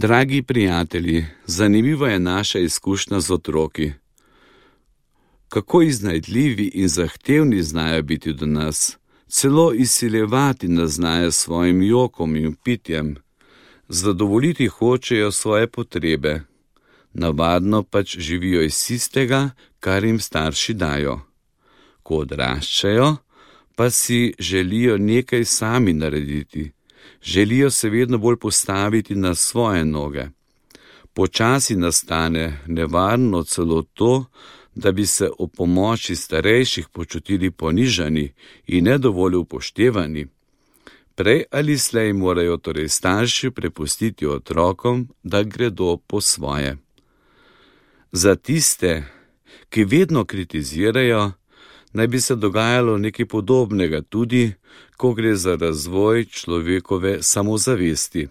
Dragi prijatelji, zanimiva je naša izkušnja z otroki. Kako iznajdljivi in zahtevni znajo biti do nas, celo izsiljevati nas znajo s svojim jokom in pitjem. Zadovoljiti hočejo svoje potrebe, navadno pač živijo iz tistega, kar jim starši dajo. Ko odraščajo, pa si želijo nekaj sami narediti, želijo se vedno bolj postaviti na svoje noge. Počasi nastane nevarno celo to, da bi se ob pomoči starejših počutili ponižani in ne dovolj upoštevani. Prej ali slej morajo torej starši prepustiti otrokom, da gredo po svoje. Za tiste, ki vedno kritizirajo, naj bi se dogajalo nekaj podobnega tudi, ko gre za razvoj človekove samozavesti.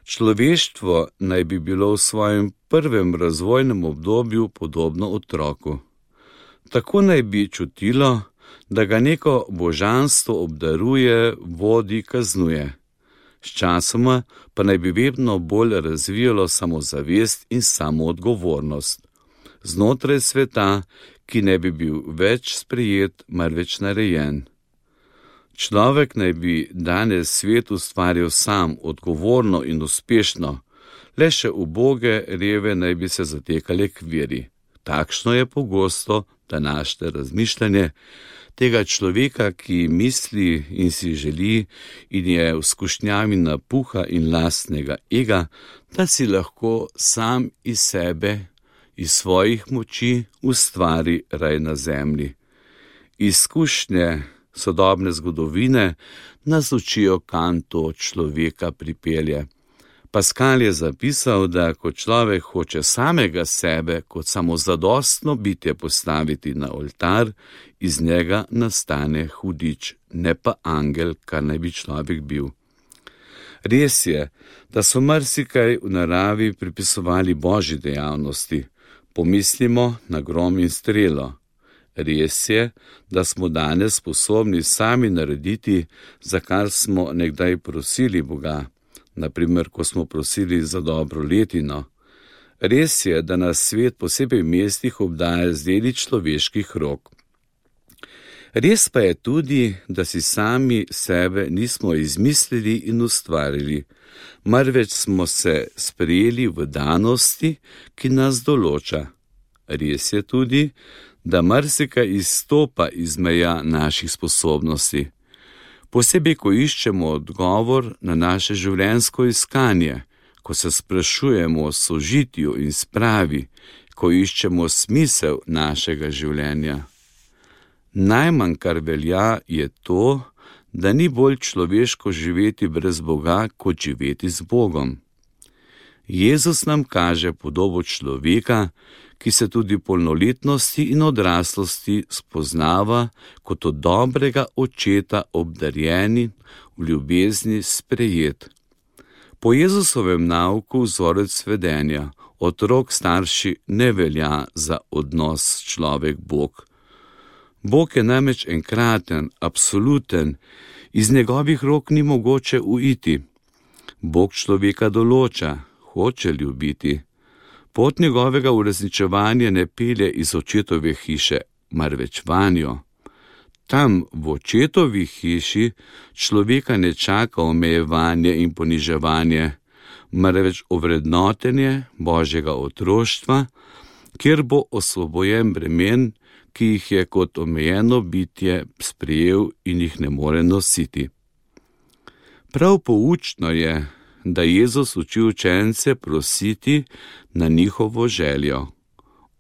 Človeštvo naj bi bilo v svojem prvem razvojnem obdobju podobno otroku. Tako naj bi čutilo, da ga neko božanstvo obdaruje, vodi, kaznuje. Sčasoma pa naj bi vedno bolj razvijalo samozavest in samoodgovornost. Znotraj sveta, ki ne bi bil več sprejet, marveč narejen. Človek naj bi danes svet ustvaril sam, odgovorno in uspešno, le še uboge reve naj bi se zatekale k veri. Takšno je pogosto današnje razmišljanje tega človeka, ki misli in si želi in je v skušnjavi napuha in lastnega ega, da si lahko sam iz sebe, iz svojih moči ustvari raj na zemlji. Izkušnje sodobne zgodovine nas učijo, kam to človeka pripelje. Pascal je zapisal, da ko človek hoče samega sebe kot samozadostno bitje postaviti na oltar, iz njega nastane hudič, ne pa angel, kar naj bi človek bil. Res je, da so marsikaj v naravi pripisovali Božji dejavnosti. Pomislimo na grom in strelo. Res je, da smo danes sposobni sami narediti, za kar smo nekdaj prosili Boga, naprimer, ko smo prosili za dobro letino. Res je, da nas svet posebej v mestih obdaja z deli človeških rok. Res pa je tudi, da si sami sebe nismo izmislili in ustvarili, marveč smo se sprejeli v danosti, ki nas določa. Res je tudi, da marsikaj izstopa iz meja naših sposobnosti. Posebej, ko iščemo odgovor na naše življenjsko iskanje, ko se sprašujemo o sožitju in spravi, ko iščemo smisel našega življenja. Najmanj, kar velja, je to, da ni bolj človeško živeti brez Boga, kot živeti z Bogom. Jezus nam kaže podobo človeka, ki se tudi v polnoletnosti in odraslosti spoznava kot od dobrega očeta obdarjeni, v ljubezni sprejet. Po Jezusovem nauku vzorec vedenja, otrok starši ne velja za odnos človek-Bog. Bog je namreč enkraten, absoluten, iz njegovih rok ni mogoče uiti. Bog človeka določa, hoče ljubiti. Pot njegovega uresničevanja ne pelje iz očetove hiše, marveč vanjo. Tam, v očetovi hiši, človeka ne čaka omejevanje in poniževanje, marveč ovrednotenje Božjega otroštva, kjer bo osvobojen bremen, ki jih je kot omejeno bitje sprejel in jih ne more nositi. Prav poučno je, da Jezus uči učence prositi na njihovo željo.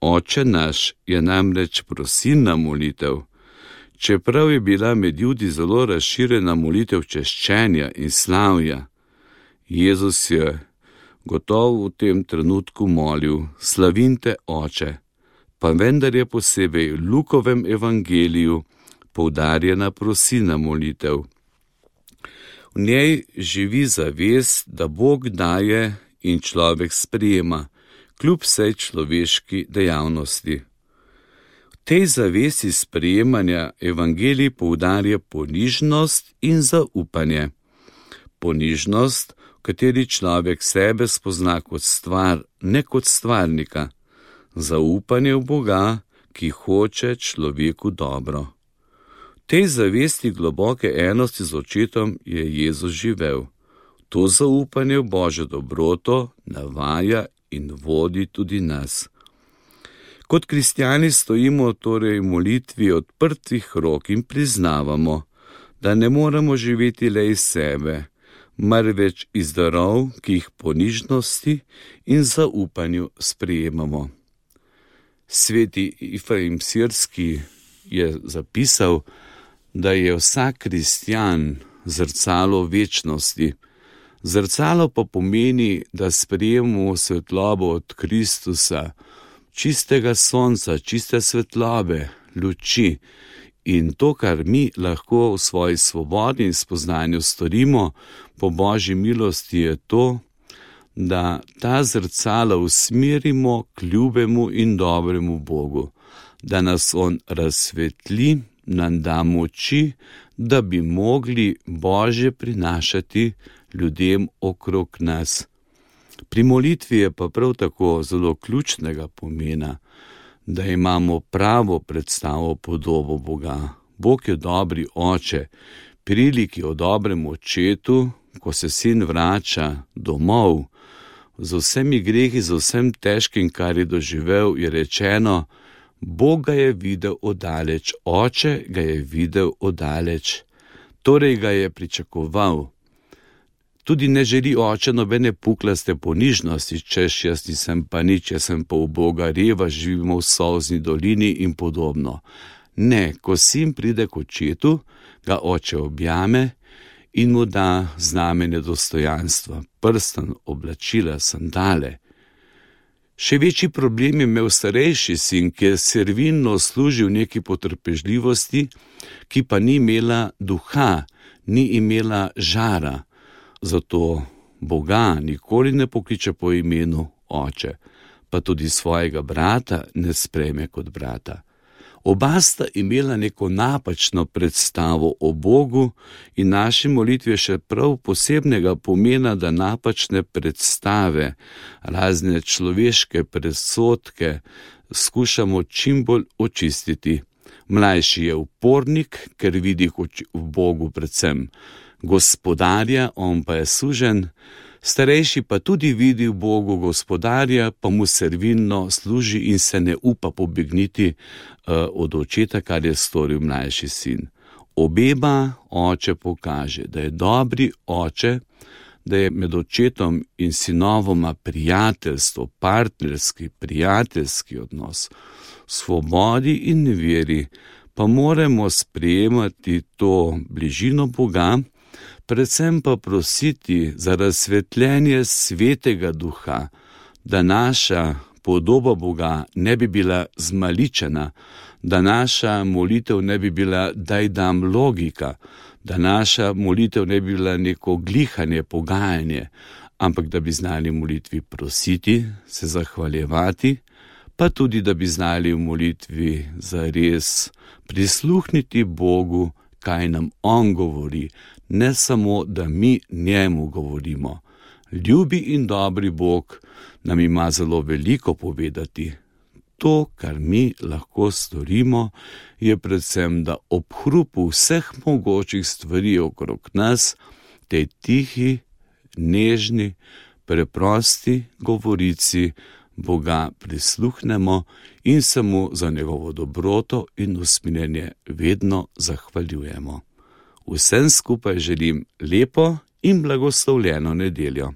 Oče naš je namreč prosilna molitev. Čeprav je bila med Judi zelo razširjena molitev češčenja in slavja, Jezus je gotovo v tem trenutku molil: Slavim te, Oče, pa vendar je posebej v Lukovem evangeliju poudarjena prosilna molitev. V njej živi zavest, da Bog daje in človek sprejema, kljub vsej človeški dejavnosti. V tej zavesti sprejemanja evangelij poudarja ponižnost in zaupanje. Ponižnost, kateri človek sebe spozna kot stvar, ne kot stvarnika, zaupanje v Boga, ki hoče človeku dobro. V tej zavesti globoke enosti z očetom je Jezus živel. To zaupanje v Božjo dobroto navaja in vodi tudi nas. Kot kristjani stojimo torej v molitvi odprtih rok in priznavamo, da ne moremo živeti le iz sebe, marveč iz darov, ki jih po nižnosti in zaupanju sprejemamo. Sveti Efrem Sirski je zapisal, da je vsak kristjan zrcalo večnosti. Zrcalo pa pomeni, da sprejemamo svetlobo od Kristusa, čistega sonca, čiste svetlobe, luči. In to, kar mi lahko v svoji svobodi in spoznanju storimo po Božji milosti, je to, da ta zrcala usmerimo k ljubemu in dobremu Bogu, da nas On razsvetli, nam da moči, da bi mogli Božje prinašati ljudem okrog nas. Pri molitvi je pa prav tako zelo ključnega pomena, da imamo pravo predstavo podobo Boga. Bog je dobri oče, priliki o dobrem očetu, ko se sin vrača domov, z vsemi grehi, z vsem težkim, kar je doživel, je rečeno, Bog ga je videl oddaleč, oče ga je videl oddaleč, torej ga je pričakoval. Tudi ne želi oče nobene puklaste ponižnosti, češ jaz nisem pa nič, jaz sem pa v Boga reva, živimo v solzni dolini in podobno. Ne, ko sin pride k očetu, ga oče objame in mu da znamenje dostojanstva, prstan, oblačila, sandale. Še večji problem je imel starejši sin, ki je servilno služil neki potrpežljivosti, ki pa ni imela duha, ni imela žara. Zato Boga nikoli ne pokliče po imenu oče, pa tudi svojega brata ne sprejme kot brata. Oba sta imela neko napačno predstavo o Bogu in naši molitvi je še prav posebnega pomena, da napačne predstave, razne človeške predsodke skušamo čim bolj očistiti. Mlajši je upornik, ker vidi v Bogu predvsem gospodarja, on pa je suženj, starejši pa tudi vidi v Bogu gospodarja, pa mu servilno služi in se ne upa pobegniti od očeta, kar je storil mlajši sin. Obema oče pokaže, da je dobri oče, da je med očetom in sinovoma prijateljstvo, partnerski, prijateljski odnos, svobodi in veri, pa moramo sprejemati to bližino Boga, predvsem pa prositi za razsvetljenje svetega duha, da naša podoba Boga ne bi bila zmaličena, da naša molitev ne bi bila daj dam logika, da naša molitev ne bi bila neko glihanje, pogajanje, ampak da bi znali v molitvi prositi, se zahvaljevati, pa tudi da bi znali v molitvi zares prisluhniti Bogu, kaj nam On govori, ne samo, da mi njemu govorimo. Ljubi in dobri Bog nam ima zelo veliko povedati. To, kar mi lahko storimo, je predvsem, da ob hrupu vseh mogočih stvari okrog nas, tej tihi, nežni, preprosti govorici Boga prisluhnemo in se mu za njegovo dobroto in usmiljenje vedno zahvaljujemo. Vsem skupaj želim lepo in blagoslovljeno nedeljo.